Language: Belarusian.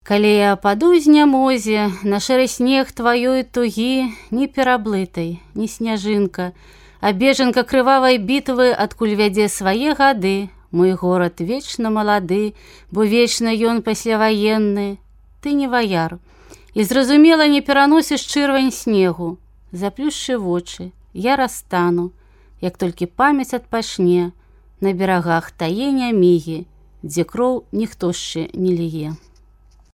Калі я паду з нямозе, на шэры снег тваёй тугі, не пераблытай, не сняжынка, а бежанка крывавай бітвы адкуль вядзе свае гады. Мой горад вечна малады, бо вечна ён пасляваенны. Ты не ваяр, і зразумела не пераносіш чырвань снегу. Заплюшчы вочы, я растану, як толькі памяць адпачне, на берагах тае нямігі, дзе кроў ніхто яшчэ не ліе.